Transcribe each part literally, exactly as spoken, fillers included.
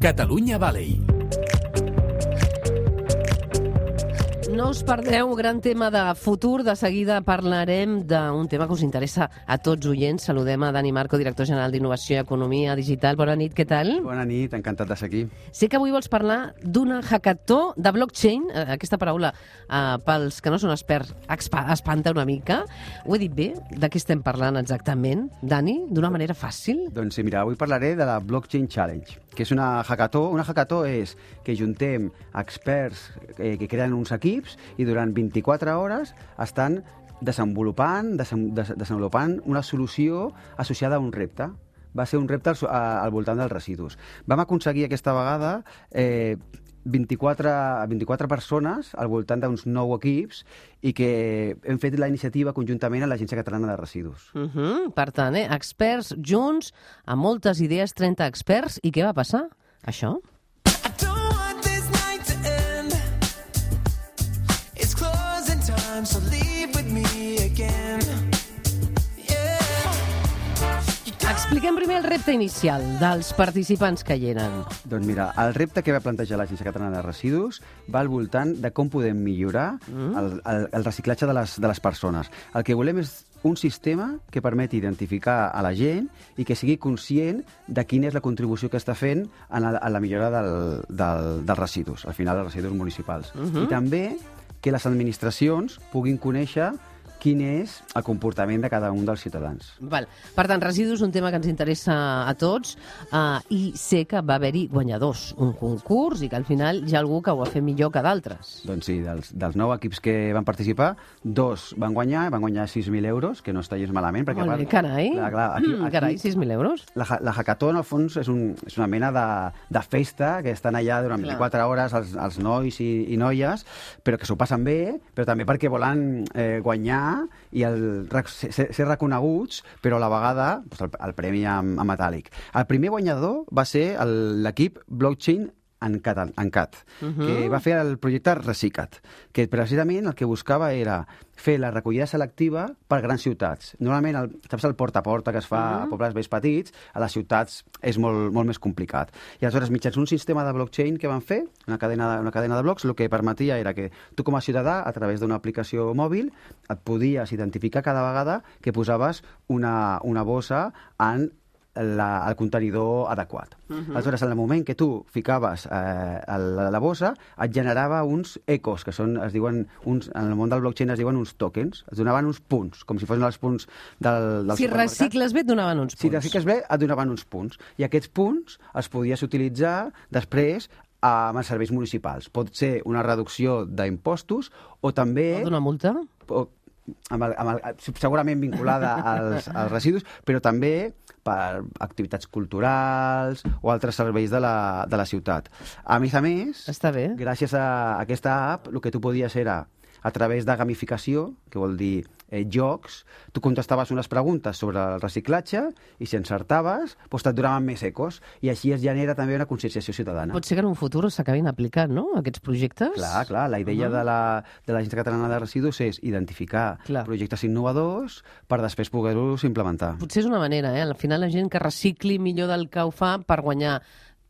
Catalunya Valley. No us perdeu, gran tema de futur. De seguida parlarem d'un tema que us interessa a tots oients. Saludem a Dani Marco, director general d'Innovació i Economia Digital. Bona nit, què tal? Bona nit, encantat de ser aquí. Sé que avui vols parlar d'una hackathon de blockchain. Aquesta paraula, eh, pels que no són experts, espanta una mica. Ho he dit bé? De què estem parlant exactament, Dani? D'una manera fàcil? Doncs sí, mira, avui parlaré de la Blockchain Challenge, que és una hackathon. Una hackathon és que juntem experts eh, que creen uns equips i durant vint-i-quatre hores estan desenvolupant, desen, des, desenvolupant una solució associada a un repte. Va ser un repte al, al voltant dels residus. Vam aconseguir aquesta vegada eh, vint-i-quatre, vint-i-quatre persones al voltant d'uns nou equips i que hem fet la iniciativa conjuntament amb l'Agència Catalana de Residus. Uh -huh. Per tant, eh, experts junts, amb moltes idees, trenta experts. I què va passar? Això? So leave with me again. Yeah. Expliquem primer el repte inicial dels participants que hi eren. Doncs mira, el repte que va plantejar l'Agència Catalana de Residus va al voltant de com podem millorar mm. el, el, el reciclatge de les, de les persones. El que volem és un sistema que permeti identificar a la gent i que sigui conscient de quina és la contribució que està fent en la, en la millora del, del, dels residus, al final dels residus municipals. Mm-hmm. I també que les administracions puguin conèixer quin és el comportament de cada un dels ciutadans. Val. Per tant, residus, un tema que ens interessa a tots, uh, i sé que va haver-hi guanyadors, un concurs, i que al final hi ha algú que ho ha fet millor que d'altres. Doncs sí, dels, dels nou equips que van participar, dos van guanyar, van guanyar sis mil euros, que no està gens malament. Perquè Olé, carai, clar, clar, aquí, mm, carai, sis mil euros. La, la hackathon, al fons, és, un, és una mena de, de festa, que estan allà durant clar. vint-i-quatre hores els, els nois i, i noies, però que s'ho passen bé, però també perquè volen eh, guanyar i el, ser, ser reconeguts, però a la vegada doncs el, el premi en, en metàl·lic. El primer guanyador va ser l'equip Blockchain Encat, Encat uh-huh. que va fer el projecte Resicat, que precisament el que buscava era fer la recollida selectiva per grans ciutats. Normalment, el, saps el porta a porta que es fa uh-huh. a pobles més petits, a les ciutats és molt, molt més complicat. I aleshores, mitjans un sistema de blockchain que van fer, una cadena, una cadena de blocs, el que permetia era que tu com a ciutadà, a través d'una aplicació mòbil, et podies identificar cada vegada que posaves una, una bossa en La, el contenidor adequat. Uh-huh. Aleshores, en el moment que tu ficaves eh, la, la bossa, et generava uns ecos, que són, es diuen, uns, en el món del blockchain es diuen uns tokens, es donaven uns punts, com si fossin els punts del, del si supermercat. Si recicles bé, et donaven uns punts. Si recicles bé, et donaven uns punts. I aquests punts els podies utilitzar després amb els serveis municipals. Pot ser una reducció d'impostos o també... O d'una multa? O, amb el, amb el, segurament vinculada als, als residus, però també per activitats culturals o altres serveis de la, de la ciutat. A més a més, està bé. Gràcies a aquesta app, el que tu podies era, a través de gamificació, que vol dir eh, jocs, tu contestaves unes preguntes sobre el reciclatge i si encertaves, doncs et donaven més ecos i així es genera també una conscienciació ciutadana. Pot ser que en un futur s'acabin aplicant, no?, aquests projectes? Clar, clar. La idea uh-huh. de la, de l'Agència Catalana de Residus és identificar clar. projectes innovadors per després poder-los implementar. Potser és una manera, eh? Al final la gent que recicli millor del que ho fa per guanyar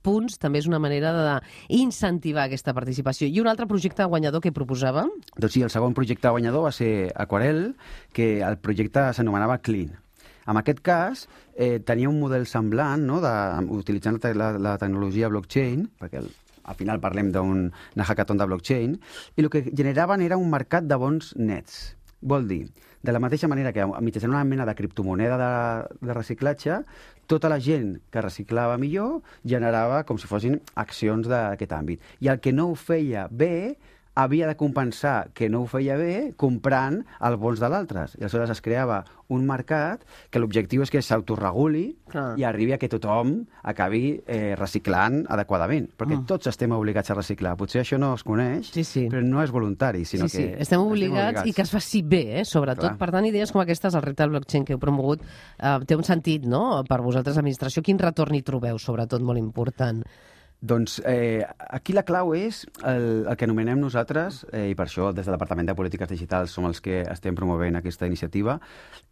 punts també és una manera d'incentivar aquesta participació. I un altre projecte guanyador que proposàvem? Doncs sí, el segon projecte guanyador va ser Aquarel, que el projecte s'anomenava Clean. En aquest cas, eh, tenia un model semblant, no?, de, utilitzant la, la, la tecnologia blockchain, perquè el, al final parlem d'un hackathon de blockchain, i el que generaven era un mercat de bons nets. Vol dir, de la mateixa manera que mitjançant una mena de criptomoneda de, de reciclatge, tota la gent que reciclava millor generava com si fossin accions d'aquest àmbit. I el que no ho feia bé havia de compensar que no ho feia bé comprant els bons de l'altre. I aleshores es creava un mercat que l'objectiu és que s'autoreguli ah. i arribi a que tothom acabi eh, reciclant adequadament. Perquè ah. tots estem obligats a reciclar. Potser això no es coneix, sí, sí. però no és voluntari, sinó sí, sí. que... Estem obligats, estem obligats i que es faci bé, eh, sobretot. Clar. Per tant, idees com aquestes, el repte del blockchain que heu promogut, eh, té un sentit, no?, per vosaltres, administració. Quin retorn hi trobeu, sobretot, molt important? Doncs eh, aquí la clau és el, el que anomenem nosaltres, eh, i per això des del Departament de Polítiques Digitals som els que estem promovent aquesta iniciativa,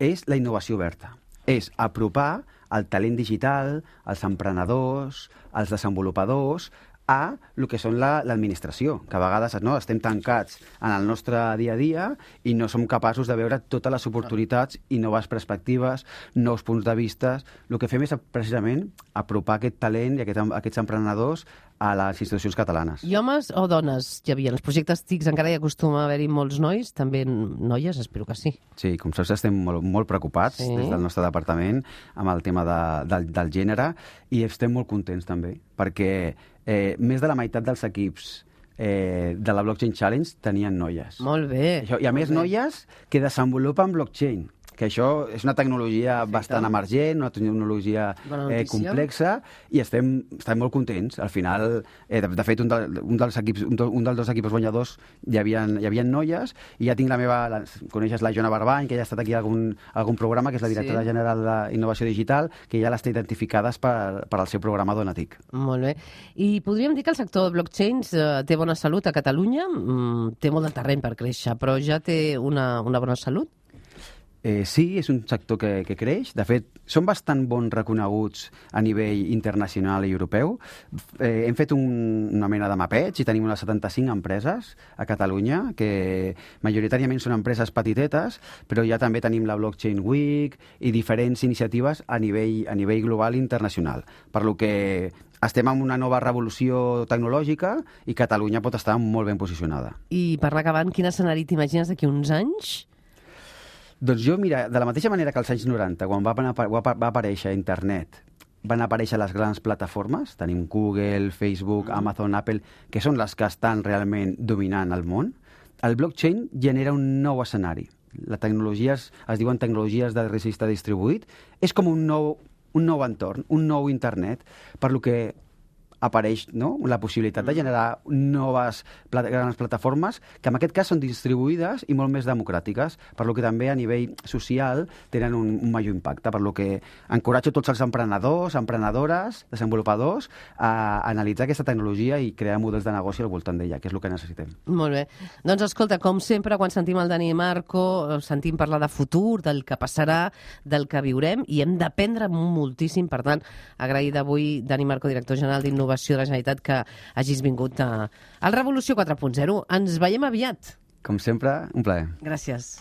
és la innovació oberta. És apropar el talent digital, els emprenedors, els desenvolupadors, a el que són l'administració, la, que a vegades no, estem tancats en el nostre dia a dia i no som capaços de veure totes les oportunitats i noves perspectives, nous punts de vista. El que fem és precisament apropar aquest talent i aquest, aquests emprenedors a les institucions catalanes. I homes o dones hi havia? Els projectes T I C encara hi acostuma a haver-hi molts nois, també noies, espero que sí. Sí, com saps, estem molt, molt preocupats sí. des del nostre departament amb el tema de, del, del gènere i estem molt contents també, perquè eh, més de la meitat dels equips eh, de la Blockchain Challenge tenien noies. Molt bé. Això, I a més bé. noies que desenvolupen blockchain, que això és una tecnologia Perfecte. bastant emergent, una tecnologia eh, complexa, i estem, estem molt contents. Al final, eh, de, de fet, un, de, un, dels equips, un, un dels dos equips guanyadors hi havia, hi havia noies, i ja tinc la meva... La, coneixes la Jona Barbany, que ja ha estat aquí a algun, algun programa, que és la directora sí. general d'Innovació Digital, que ja les té identificades per, per al seu programa Donatic. Molt bé. I podríem dir que el sector de blockchains eh, té bona salut a Catalunya? Mm, té molt de terreny per créixer, però ja té una, una bona salut? Eh, sí, és un sector que, que creix. De fet, són bastant bons reconeguts a nivell internacional i europeu. Eh, hem fet un, una mena de mapeig i tenim unes setanta-cinc empreses a Catalunya, que majoritàriament són empreses petitetes, però ja també tenim la Blockchain Week i diferents iniciatives a nivell, a nivell global i internacional. Per lo que estem en una nova revolució tecnològica i Catalunya pot estar molt ben posicionada. I per anar acabant, quin escenari t'imagines d'aquí uns anys? Doncs jo, mira, de la mateixa manera que als anys noranta, quan va, va aparèixer internet, van aparèixer les grans plataformes, tenim Google, Facebook, mm. Amazon, Apple, que són les que estan realment dominant el món, el blockchain genera un nou escenari. Les tecnologies, es diuen tecnologies de registre distribuït, és com un nou, un nou entorn, un nou internet, per lo que apareix no? la possibilitat de generar noves plat grans plataformes que en aquest cas són distribuïdes i molt més democràtiques, per lo que també a nivell social tenen un, un major impacte, per lo que encoratjo tots els emprenedors, emprenedores, desenvolupadors a analitzar aquesta tecnologia i crear models de negoci al voltant d'ella, que és el que necessitem. Molt bé. Doncs escolta, com sempre, quan sentim el Dani i Marco, sentim parlar de futur, del que passarà, del que viurem, i hem d'aprendre moltíssim. Per tant, agrair d'avui, Dani Marco, director general d'Innovació de la Generalitat, que hagis vingut a, al Revolució quatre punt zero. Ens veiem aviat. Com sempre, un plaer. Gràcies.